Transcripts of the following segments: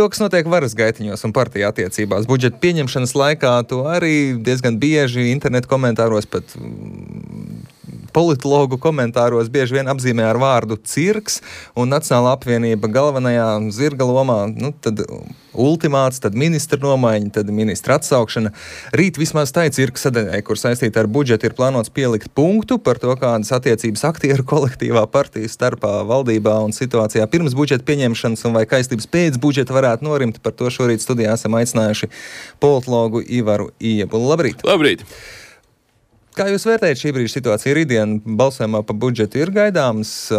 to, kas notiek varas gaitiņos un partiju attiecībās. Budžeta pieņemšanas laikā to arī diezgan bieži internetu komentāros, pat politologu komentāros bieži vien apzīmē ar vārdu cirks, un Nacionālā apvienība galvenajā zirga lomā, tad ultimāts, tad ministra nomaiņa, tad ministra atsaukšana. Rīt vismaz tai cirka sadaļai, kur saistīta ar budžetu, ir plānots pielikt punktu par to, kādas attiecības aktieru kolektīvā partiju starpā valdībā un situācijā pirms budžeta pieņemšanas un vai kaistības pēc budžeta varētu norimt. Par to šorīt studijā esam aicinājuši politologu Ivaru Iebulu. Labrīt! Labrīt! Kā jūs vērtējat šī brīža situāciju? Rītdien balsojumā par budžetu ir gaidāms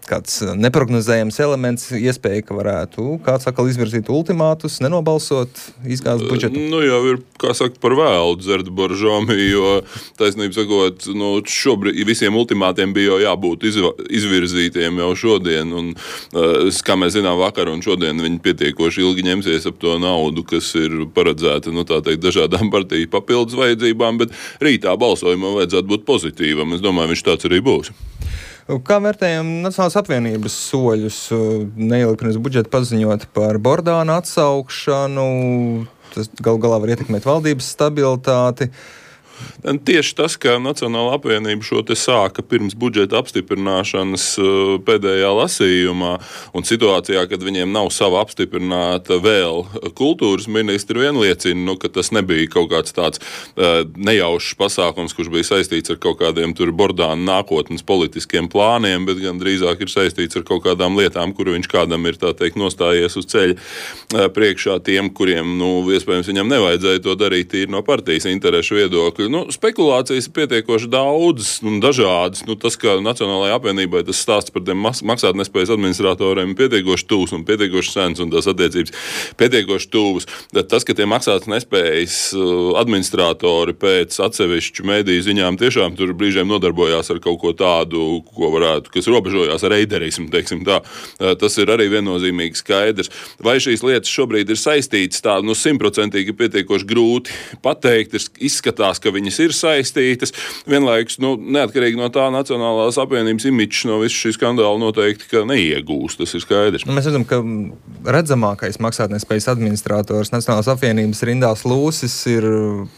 kāds neprognozējams elements, iespēja, ka varētu kāds atkal izvirzīt ultimātus, nenobalsot, izgāzt budžetu? Jau ir, kā saka, par vēlu dzert boržomi, jo taisnība sakot, šobrīd visiem ultimātiem bija jau jābūt izvirzītiem jau šodien, un kā mēs zinām vakar un šodien viņi pietiekoši ilgi ņemsies ap to naudu, kas ir paredzēta, tā teikt, dažādām partiju papildus vajadzībām, bet rītā balsojumam vajadzētu būt pozitīvam. Es domāju, viņš tāds arī būs. Kā vērtējam Nacionālās apvienības soļus neilgi pirms budžeta paziņot par Bordāna atsaukšanu? Tas galu galā var ietekmēt valdības stabilitāti. Tieši tas, ka Nacionālā apvienība šo te sāka pirms budžeta apstiprināšanas pēdējā lasījumā un situācijā, kad viņiem nav sava apstiprināta vēl kultūras ministri, vien liecina, ka tas nebija kaut kāds tāds nejaušs pasākums, kurš bija saistīts ar kaut kādiem tur Bordāna nākotnes politiskiem plāniem, bet gan drīzāk ir saistīts ar kaut kādām lietām, kuru viņš kādam ir, tā teikt, nostājies uz ceļa priekšā tiem, kuriem, iespējams, viņam nevajadzēja to darīt tīri no partijas interešu viedokļa. Spekulācijas ir pietiekoši daudzas un dažādas. Tas, ka Nacionālajai apvienībai tas stāsts par tiem maksātnespējas administratoriem ir pietiekoši tuvs un pietiekoši sens un tās attiecības pietiekoši tuvas. Tas, ka tie maksātnespējas administratori pēc atsevišķu mediju ziņām tiešām tur brīžiem nodarbojās ar kaut ko tādu, kas robežojās ar reiderismu, teiksim tā. Tas ir arī viennozīmīgi skaidrs. Vai šīs lietas šobrīd ir saistītas tā, 100% pietiekoši grūti pateikt, izskatās, ka viņas ir saistītas. Vienlaikus, neatkarīgi no tā Nacionālās apvienības imidžs no visu šī skandāla noteikti, ka neiegūst. Tas ir skaidrs. Mēs redzam, ka redzamākais maksātnespējas administrators Nacionālās apvienības Rindās Lūsis ir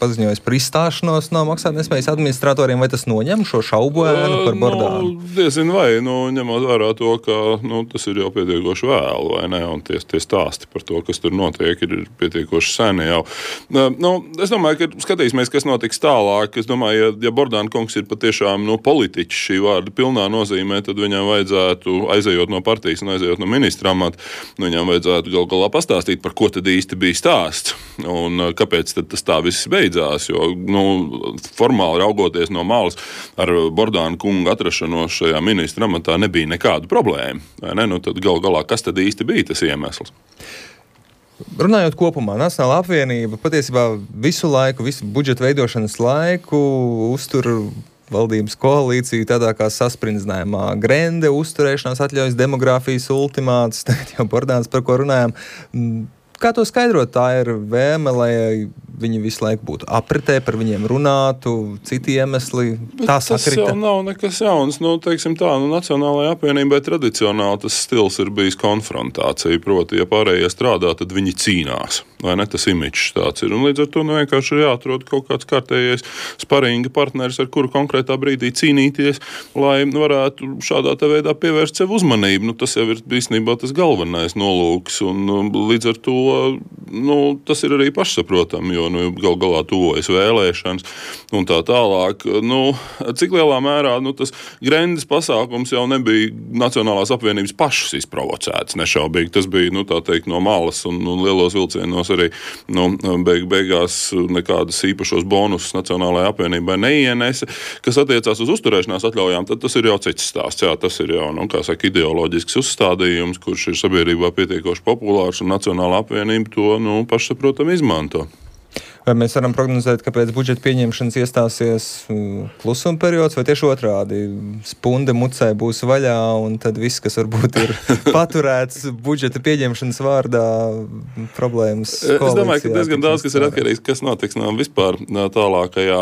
paziņojis par izstāšanos no maksātnespējas administratoriem. Vai tas noņem šo šaubu ēnu par Bordānu? Diezin vai, ņemot vērā to, ka tas ir jau pietiekoši vēlu, vai ne? Un tie stāsti par to, kas tur notiek, ir pietiekoši seni jau. Es domāju, ka skatīsimies, kas notiks tālāk. Es domāju, ja Bordāna kungs ir patiešām politiķis šī vārda pilnā nozīmē, tad viņam vajadzētu, aizejot no partijas un aizejot no ministra amata, viņam vajadzētu gal galā pastāstīt, par ko tad īsti bija stāsts un kāpēc tad tas tā viss beidzās, jo formāli raugoties no malas ar Bordāna kungu atrašanos šajā ministra amatā nebija nekādu problēmu. Vai ne? Tad gal galā, kas tad īsti bija tas iemesls? Runājot kopumā, Nacionālā apvienība patiesībā visu budžeta veidošanas laiku uztur valdības koalīciju tādā kā sasprindzinājumu. Grende, uzturēšanās atļaujas, demogrāfijas ultimāts, tagad jau Bordāns, par ko runājām. Kā to skaidrot? Tā ir vēme, lai viņi visu laiku būtu apritē, par viņiem runātu, citi iemesli. Tā sakrita. Tas jau nav nekas jauns. Teiksim tā, Nacionālajai apvienībai tradicionāli tas stils ir bijis konfrontācija. Proti, ja pārējie strādā, tad viņi cīnās. Vai ne? Tas imidžs tāds ir. Un līdz ar to vienkārši ir jāatrod kaut kāds kārtējais sparinga partneris, ar kuru konkrētā brīdī cīnīties, lai varētu šādā veidā pievērst sev uzmanību. Tas jau ir īstenībā tas galvenais nolūks. Un līdz ar to tas ir arī pašsaprotami, jo gal galā tuvojas vēlēšanas un tā tālāk. Cik lielā mērā tas Grendes pasākums jau nebija Nacionālās apvienības pašas izprovocēts, nešaubīgi. Tas bija, tā teikt, no malas un lielos vilcienos arī beigās nekādas īpašos bonusus Nacionālajai apvienībai neienesa. Kas attiecās uz uzturēšanās atļaujām, tad tas ir jau cits stāsts. Jā, tas ir jau, ideoloģisks uzstādījums, kurš ir sabiedrībā pietiekoši populārs un Nacionālā apvienība to, pašsaprotam izmanto. Vai mēs varam prognozēt, ka pēc budžeta pieņemšanas iestāsies klusuma periods, vai tieši otrādi spunde mucē būs vaļā, un tad viss, kas varbūt ir paturēts budžeta pieņemšanas vārdā, problēmas koalīcijā? Es domāju, ka diezgan daudz, kas ir atkarīgs, kas notiks vispār tālākajā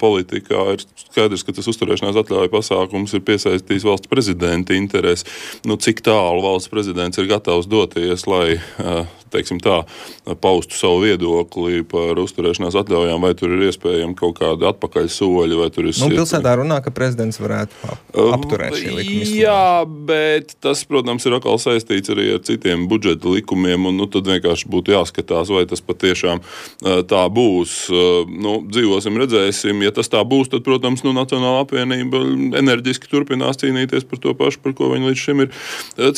politikā. Ir skaidrs, ka tas uzturēšanās atļauju pasākums ir piesaistījis valsts prezidenta interesi. Cik tālu valsts prezidents ir gatavs doties, lai, teiksim tā, paustu savu viedokli par uzturēšanās atļaujām, vai tur ir iespējami kaut kādi atpakaļ soļi, vai tur ir... Pilsētā runā, ka prezidents varētu apturēt šī likuma izslēgšanu. Jā, bet tas, protams, ir atkal saistīts arī ar citiem budžeta likumiem, un tad vienkārši būtu jāskatās, vai tas patiešām tā būs. Dzīvosim, redzēsim. Ja tas tā būs, tad, protams, Nacionālā apvienība enerģiski turpinās cīnīties par to pašu, par ko viņi līdz šim ir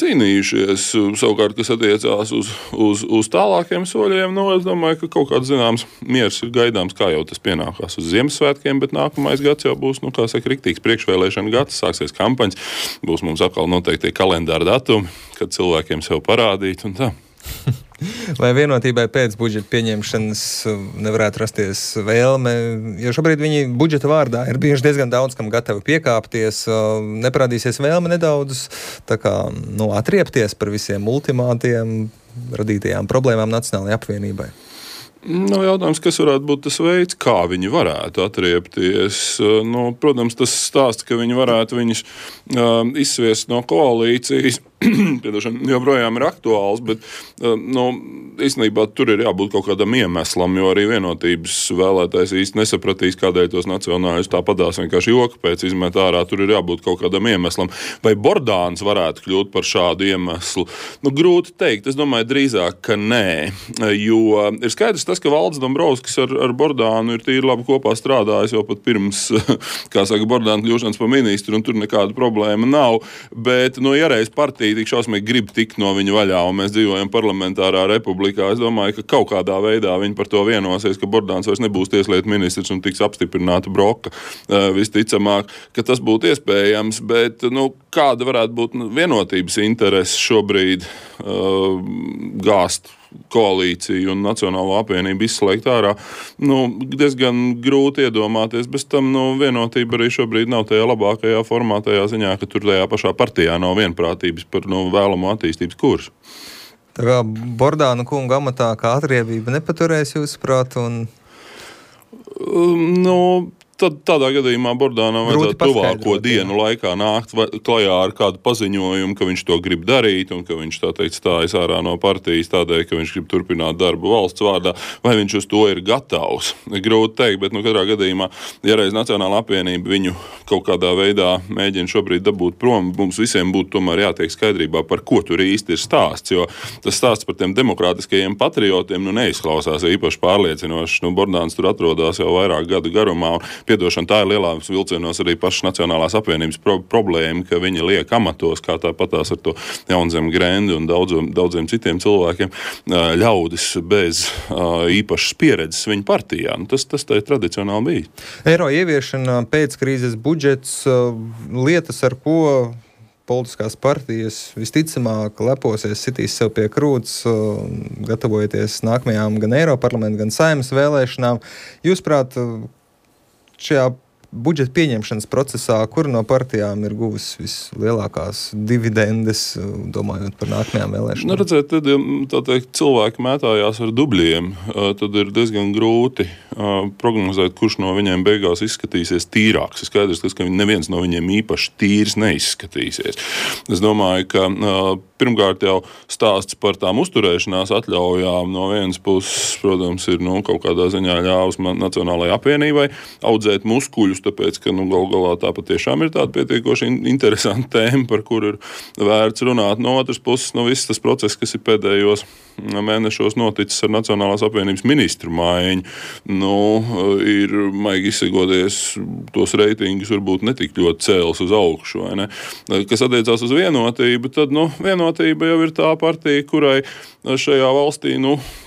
cīnījušies. Savukārt, kas attiecās uz tālākiem soļiem, es domāju, ka kaut kāds zināms miers ir gaidāms, kā jau tas pienākās uz Ziemassvētkiem, bet nākamais gads jau būs, riktīgs priekšvēlēšana gads, sāksies kampaņas, būs mums atkal noteikti kalendāra datumi, kad cilvēkiem sev parādīt un tā. Vai vienotībai pēc budžeta pieņemšanas nevarētu rasties vēlme, jo šobrīd viņi budžeta vārdā ir bijuši diezgan daudz, kam gatavi piekāpties, neparādīsies vēlme nedaudz atriepties par visiem ultimātiem, radītajām problēmām Nacionālajai apvienībai? Jautājums, kas varētu būt tas veids, kā viņi varētu atriepties. Protams, tas stāsts, ka viņi varētu viņus izsviest no koalīcijas, joprojām ir aktuāls, bet īstenībā tur ir jābūt kaut kādam iemeslam, jo arī vienotības vēlētājs īsti nesapratīs, kādēļ tos nacionāļus tāpadās vienkārši joka pēc izmet ārā. Tur ir jābūt kaut kādam iemeslam. Vai Bordāns varētu kļūt par šādu iemeslu? Grūti teikt. Es domāju drīzāk, ka nē, jo ir skaidrs tas, ka Valdis Dombrovskis ar Bordānu ir tīri labi kopā strādājis jau pat pirms, Bordāna kļūšanas par ministru, un tur nekāda problēma nav. Bet, ja reiz partija tik šausmīgi grib tikt no viņa vaļā, un mēs dzīvojam parlamentārā republikā, es domāju, ka kaut kādā veidā viņi par to vienosies, ka Bordāns vairs nebūs tieslietu ministrs un tiks apstiprināta Broka. Visticamāk, ka tas būtu iespējams, bet, kāda varētu būt vienotības interese šobrīd gāzt koalīciju un Nacionālo apvienību izslēgt ārā, diezgan grūti iedomāties. Bez tam, vienotība arī šobrīd nav tajā labākajā formā, tajā ziņā, ka tur tajā pašā partijā nav vienprātības par vēlamo attīstības kursu. Tā kā Bordāna kunga amatā kā atriebība nepaturēs jūsuprāt un... Tad tādā gadījumā Bordānam vajadzētu tuvāko dienu laikā nākt klajā ar kādu paziņojumu, ka viņš to grib darīt un ka viņš, tā teikt, stājas ārā no partijas tādēļ, ka viņš grib turpināt darbu valsts vārdā, vai viņš uz to ir gatavs. Grūti teikt, bet katrā gadījumā, ja reiz Nacionālā apvienība viņu kaut kādā veidā mēģina šobrīd dabūt prom, mums visiem būtu tomēr jātiek skaidrībā, par ko tur īsti ir stāsts, jo tas stāsts par tiem demokrātiskajiem patriotiem neizklausās īpaši pārliecinoši. Bordāns tur atrodas jau vairāk gadu garumā. Piedošana, tā ir lielā vilcienos arī pašas Nacionālās apvienības problēma, ka viņi liek amatos, kā tāpatās ar to Jaunzemi Grendi un daudziem citiem cilvēkiem, ļaudis bez īpašas pieredzes viņa partijā. Tas tā ir tradicionāli bijis. Eiro ieviešana, pēc krīzes budžets, lietas, ar ko politiskās partijas visticamāk leposies, sitīs sev pie krūts, gatavojoties nākamajām gan Eiroparlamentu, gan Saeimas vēlēšanām. Jūsuprāt, šajā budžeta pieņemšanas procesā, kur no partijām ir guvis vislielākās dividendes, domājot par nākamajām vēlēšanām? Redzēt, tad, tā teikt, cilvēki mētājās ar dubļiem, tad ir diezgan grūti prognozēt, kurš no viņiem beigās izskatīsies tīrāks. Ir skaidrs, ka neviens no viņiem īpaši tīrs neizskatīsies. Es domāju, ka pirmkārt jau stāsts par tām uzturēšanās atļaujām no vienas puses, protams, ir kaut kādā ziņā ļāvis Nacionālajai apvienībai audzēt muskuļus, tāpēc, ka gal galā tā patiešām ir tāda pietiekoši interesanta tēma, par kuru ir vērts runāt. No otras puses, viss tas process, kas ir pēdējos mēnešos noticis ar Nacionālās apvienības ministru maiņu, ir, maigi izsakoties, tos reitingus varbūt netik ļoti cēlis uz augšu, vai ne? Kas attiecās uz vienotību, tad, vienotība jau ir tā partija, kurai šajā valstī,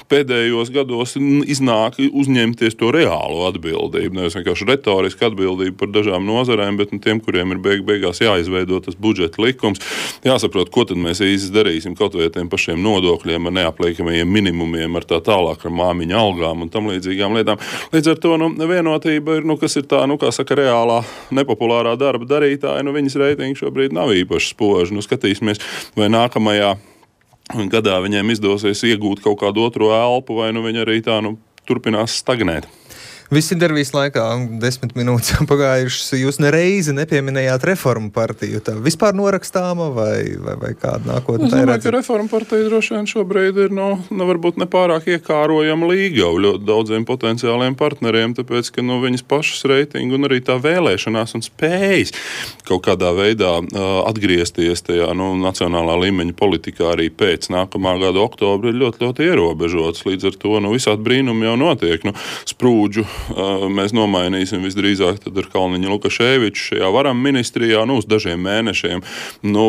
pēdējos gados iznāk uzņemties to reālo atbildību, nevis vienkārši retorisku atbildību, atbildība par dažām nozarēm, bet tiem, kuriem ir beigās jāizveido tas budžeta likums, jāsaprot, ko tad mēs īsti darīsim kaut vai tiem pašiem nodokļiem, ar neapliekamajiem minimumiem, ar tā tālāk, ar māmiņu algām un tam līdzīgām lietām. Līdz ar to vienotība ir, kas ir tā, kā saka, reālā nepopulārā darba darītāja, viņas reitingi šobrīd nav īpaši spoži. Skatīsimies, vai nākamajā gadā viņiem izdosies iegūt kaut kādu otro elpu, vai viņi arī tā turpinās stagnēt. Visi intervijas laikā 10 minūtes pagājušas. Jūs nereizi nepieminējāt Reformu partiju. Tā vispār norakstāma vai kāda nākotne? Es domāju, ka Reformu partija droši vien šobrīd ir varbūt nepārāk iekārojama līgava ļoti daudziem potenciāliem partneriem, tāpēc, ka viņas pašas reitingu un arī tā vēlēšanās un spējas kaut kādā veidā atgriezties tajā nacionālā līmeņa politikā arī pēc nākamā gada oktobra ir ļoti, ļoti ierobežots. Līdz ar to visādi brīnumi jau notiek. Sprūdžu mēs nomainīsim visdrīzāk tad ar Kalniņu Lukaševiču šajā varam ministrijā uz dažiem mēnešiem.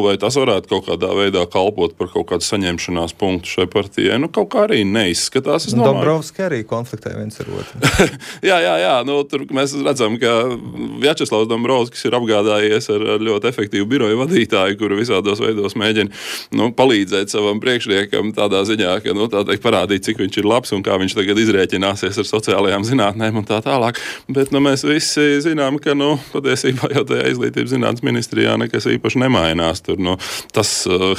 Vai tas varētu kaut kādā veidā kalpot par kaut kādu saņemšanās punktu šai partijai? Kaut kā arī neizskatās. Dombrovski arī konfliktē viens ar otru. Jā. Tur mēs redzam, ka Vjačeslavs Dombrovskis ir apgādājies ar ļoti efektīvu biroju vadītāju, kuru visādos veidos mēģina palīdzēt savam priekšniekam tādā ziņā, ka tā teikt parādīt, cik viņš ir labs un kā viņš tagad izrēķināsies ar sociālajām zinātnēm un tā tālāk. Bet mēs visi zinām, ka patiesībā jau tajā izglītības zinātnes ministrijā nekas īpaši nemainās. Tur tas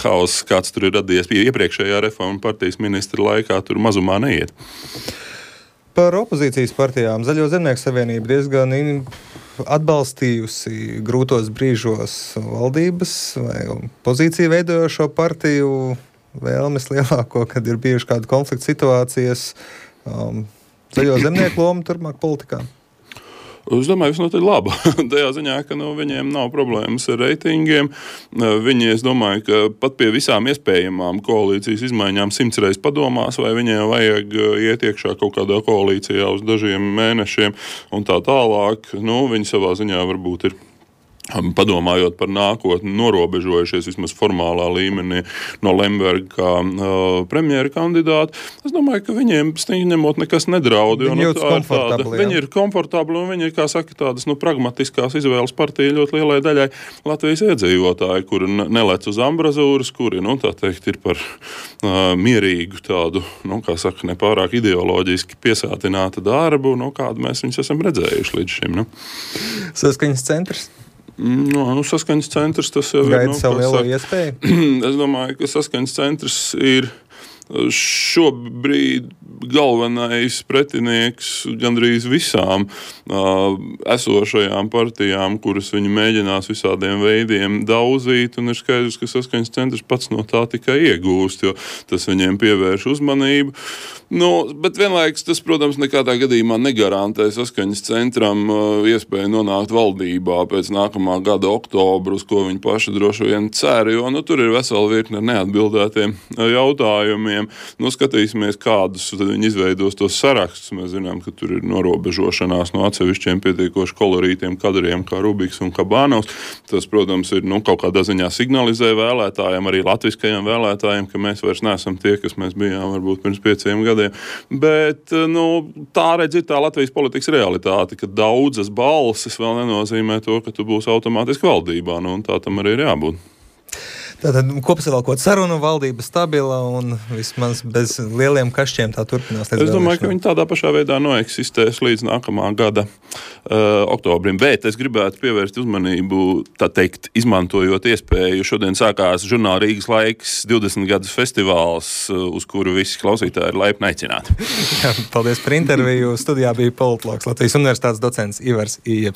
hauss, kāds tur ir radies iepriekšējā Reformu partijas ministra laikā, tur mazumā neiet. Par opozīcijas partijām Zaļo zemnieku savienība diezgan atbalstījusi grūtos brīžos valdības vai pozīciju veidojošo partiju vēlmes lielāko, kad ir bijuši kādu konfliktu situācijas. Zaļo zemnieku loma turpmāk politikā? Es domāju, visnotaļ laba. Tajā ziņā, ka viņiem nav problēmas ar reitingiem. Viņi, es domāju, ka pat pie visām iespējamām koalīcijas izmaiņām 100 reizes padomās, vai viņiem vajag iet iekšā kaut kādā koalīcijā uz dažiem mēnešiem un tā tālāk. Viņi savā ziņā varbūt ir padomājot par nākotni, norobežojušies vismaz formālā līmenī no Lemberga kā premjera kandidāta. Es domāju, ka viņiem stingri ņemot nekas nedraud. Viņi ir komfortabli un viņi ir, kā saka, tādas pragmatiskās izvēles partija ļoti lielai daļai Latvijas iedzīvotāji, kuri nelec uz ambrazūras, kuri, tā teikt, ir par mierīgu tādu, kā saka, nepārāk ideoloģiski piesātinātu darbu, kādu mēs viņus esam redzējuši līdz šim. Saskaņas centrs? Saskaņas centrs tas jau ir. Gaida savu lielo iespēju? Es domāju, ka saskaņas centrs ir šobrīd galvenais pretinieks gandrīz visām esošajām partijām, kuras viņi mēģinās visādiem veidiem daudzīt, un ir skaidrs, ka saskaņas centrs pats no tā tikai iegūst, jo tas viņiem pievērš uzmanību. Bet vienlaikus tas, protams, nekādā gadījumā negarantē saskaņas centram iespēju nonākt valdībā pēc nākamā gada oktobra, uz ko viņi paši droši vien cer, jo tur ir vesela virkne ar neatbildētiem jautājumiem. Skatīsimies, kādus viņi izveidos tos sarakstus. Mēs zinām, ka tur ir norobežošanās no atsevišķiem pietiekoši kolorītiem kadriem, kā Rubiks un Kabanovs. Tas, protams, ir kaut kādā ziņā signalizē vēlētājiem, arī latviskajiem vēlētājiem, ka mēs vairs neesam tie, kas mēs bijām varbūt pirms 5 gadiem. Bet, tā redz ir tā Latvijas politikas realitāte, ka daudzas balsis vēl nenozīmē to, ka tu būsi automātiski valdībā, un tā tam arī ir jābūt. Tātad kopsavilkot sarunu, valdība stabila un vismaz bez lieliem kašķiem tā turpinās. Es domāju, ka viņi tādā pašā veidā noeksistēs līdz nākamā gada oktobrim. Bet es gribētu pievērst uzmanību, tā teikt, izmantojot iespēju. Šodien sākās žurnāla Rīgas laiks 20 gadus festivāls, uz kuru visi klausītāji ir laipni aicināti. Paldies par interviju. Studijā bija politologs, Latvijas Universitātes docents Ivars Ieps.